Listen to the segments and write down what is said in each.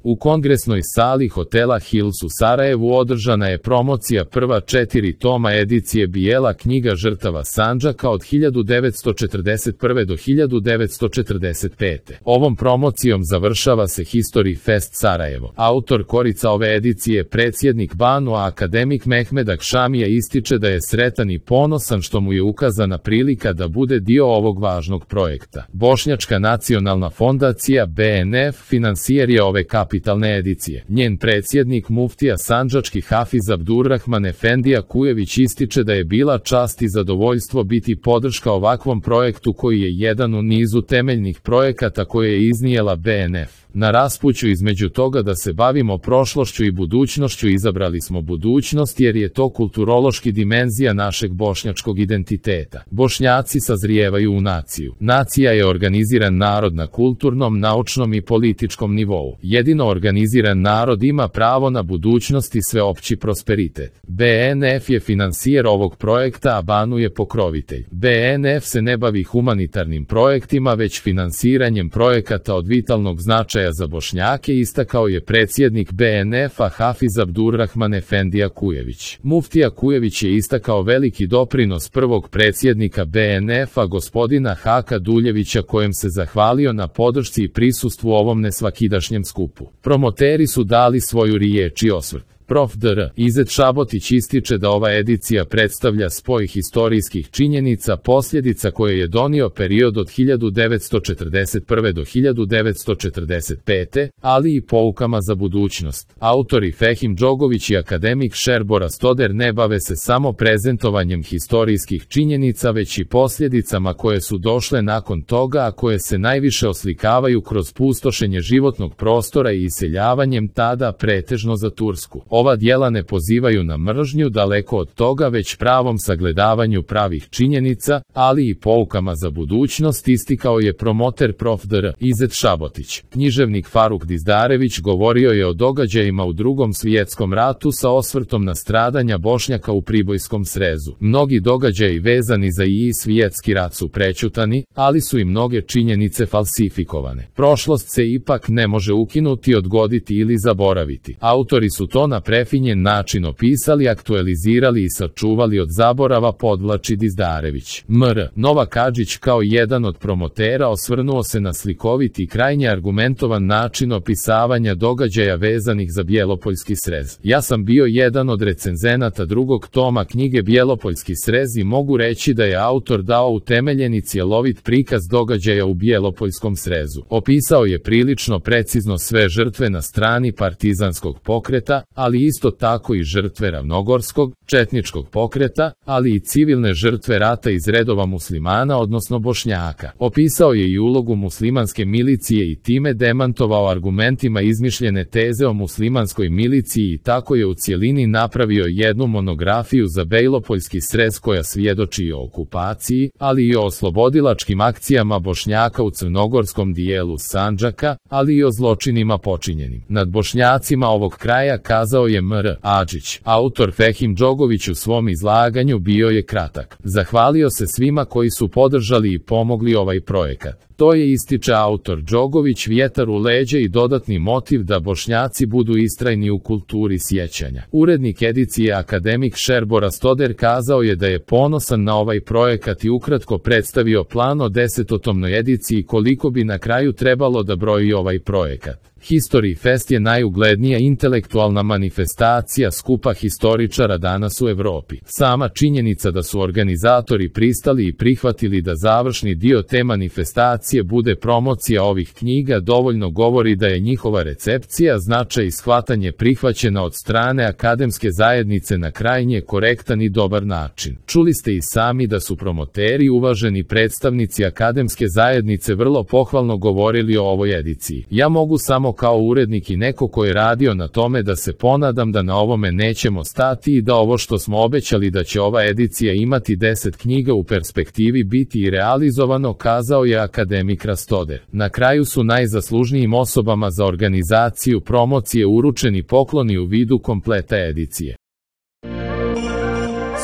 U kongresnoj sali hotela Hills u Sarajevu održana je promocija prva 4 toma edicije Bijela knjiga žrtava Sandžaka od 1941. do 1945. Ovom promocijom završava se History Fest Sarajevo. Autor korica ove edicije, predsjednik BANU-a akademik Mehmed Akšamija, ističe da je sretan i ponosan što mu je ukazana prilika da bude dio ovog važnog projekta. Bošnjačka nacionalna fondacija BNF finansijer je ove kapitalne edicije. Njen predsjednik muftija sandžački Hafiz Abdurrahman Efendija Kujević ističe da je bila čast i zadovoljstvo biti podrška ovakvom projektu koji je jedan u nizu temeljnih projekata koje je iznijela BNF. Na raspuću između toga da se bavimo prošlošću i budućnošću izabrali smo budućnost jer je to kulturološki dimenzija našeg bošnjačkog identiteta. Bošnjaci sazrijevaju u naciju. Nacija je organiziran narod na kulturnom, naučnom i političkom nivou. Jedino organiziran narod ima pravo na budućnost i sveopći prosperitet. BNF je finansijer ovog projekta, a BANU je pokrovitelj. BNF se ne bavi humanitarnim projektima, već finansiranjem projekata od vitalnog značaja za Bošnjake, istakao je predsjednik BNF-a Hafiz Abdurrahman Efendija Kujević. Muftija Kujević je istakao veliki doprinos prvog predsjednika BNF-a gospodina Haka Duljevića, kojem se zahvalio na podršci i prisustvu ovom nesvakidašnjem skupu. Promoteri su dali svoju riječ i osvrt. Prof. dr. Izet Šabotić ističe da ova edicija predstavlja spoj historijskih činjenica, posljedica koje je donio period od 1941. do 1945. ali i poukama za budućnost. Autori Fehim Džogović i akademik Šerbora Stoder ne bave se samo prezentovanjem historijskih činjenica, već i posljedicama koje su došle nakon toga, a koje se najviše oslikavaju kroz pustošenje životnog prostora i iseljavanjem, tada pretežno za Tursku. Ova djela ne pozivaju na mržnju, daleko od toga, već pravom sagledavanju pravih činjenica, ali i poukama za budućnost, istikao je promoter prof. dr. Izet Šabotić. Književnik Faruk Dizdarević govorio je o događajima u Drugom svjetskom ratu sa osvrtom na stradanja Bošnjaka u Pribojskom srezu. Mnogi događaji vezani za I svjetski rat su prećutani, ali su i mnoge činjenice falsifikovane. Prošlost se ipak ne može ukinuti, odgoditi ili zaboraviti. Autori su to na prefinjen način opisali, aktualizirali i sačuvali od zaborava, podvlači Dizdarević. Mr. Novak Adžić kao jedan od promotera osvrnuo se na slikovit i krajnje argumentovan način opisavanja događaja vezanih za Bjelopoljski srez. Ja sam bio jedan od recenzenata drugog toma knjige Bjelopoljski srez i mogu reći da je autor dao utemeljen i cjelovit prikaz događaja u Bjelopoljskom srezu. Opisao je prilično precizno sve žrtve na strani partizanskog pokreta, ali isto tako i žrtve ravnogorskog, četničkog pokreta, ali i civilne žrtve rata iz redova muslimana, odnosno Bošnjaka. Opisao je i ulogu muslimanske milicije i time demantovao argumentima izmišljene teze o muslimanskoj miliciji i tako je u cjelini napravio jednu monografiju za Bjelopoljski srez koja svjedoči o okupaciji, ali i o oslobodilačkim akcijama Bošnjaka u crnogorskom dijelu Sandžaka, ali i o zločinima počinjenim nad Bošnjacima ovog kraja, kazao je Mr. Adžić. Autor Fehim Džogović u svom izlaganju bio je kratak. Zahvalio se svima koji su podržali i pomogli ovaj projekat. To je, ističe autor Džogović, vjetar u leđa i dodatni motiv da Bošnjaci budu istrajni u kulturi sjećanja. Urednik edicije akademik Šerbora Stoder kazao je da je ponosan na ovaj projekat i ukratko predstavio plan o 10-tomnoj ediciji koliko bi na kraju trebalo da broji ovaj projekat. History Fest je najuglednija intelektualna manifestacija skupa historičara danas u Europi. Sama činjenica da su organizatori pristali i prihvatili da završni dio te manifestacije bude promocija ovih knjiga dovoljno govori da je njihova recepcija, značaj i shvatanje prihvaćena od strane akademske zajednice na krajnje korektan i dobar način. Čuli ste i sami da su promoteri, uvaženi predstavnici akademske zajednice, vrlo pohvalno govorili o ovoj ediciji. Ja mogu samo kao urednik i neko ko je radio na tome da se ponadam da na ovome nećemo stati i da ovo što smo obećali da će ova edicija imati 10 knjiga u perspektivi biti i realizovano, kazao je akademik Rastoder. Na kraju su najzaslužnijim osobama za organizaciju promocije uručeni pokloni u vidu kompleta edicije.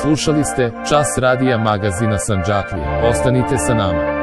Slušali ste Čas radija magazina Sandžaklija. Ostanite sa nama.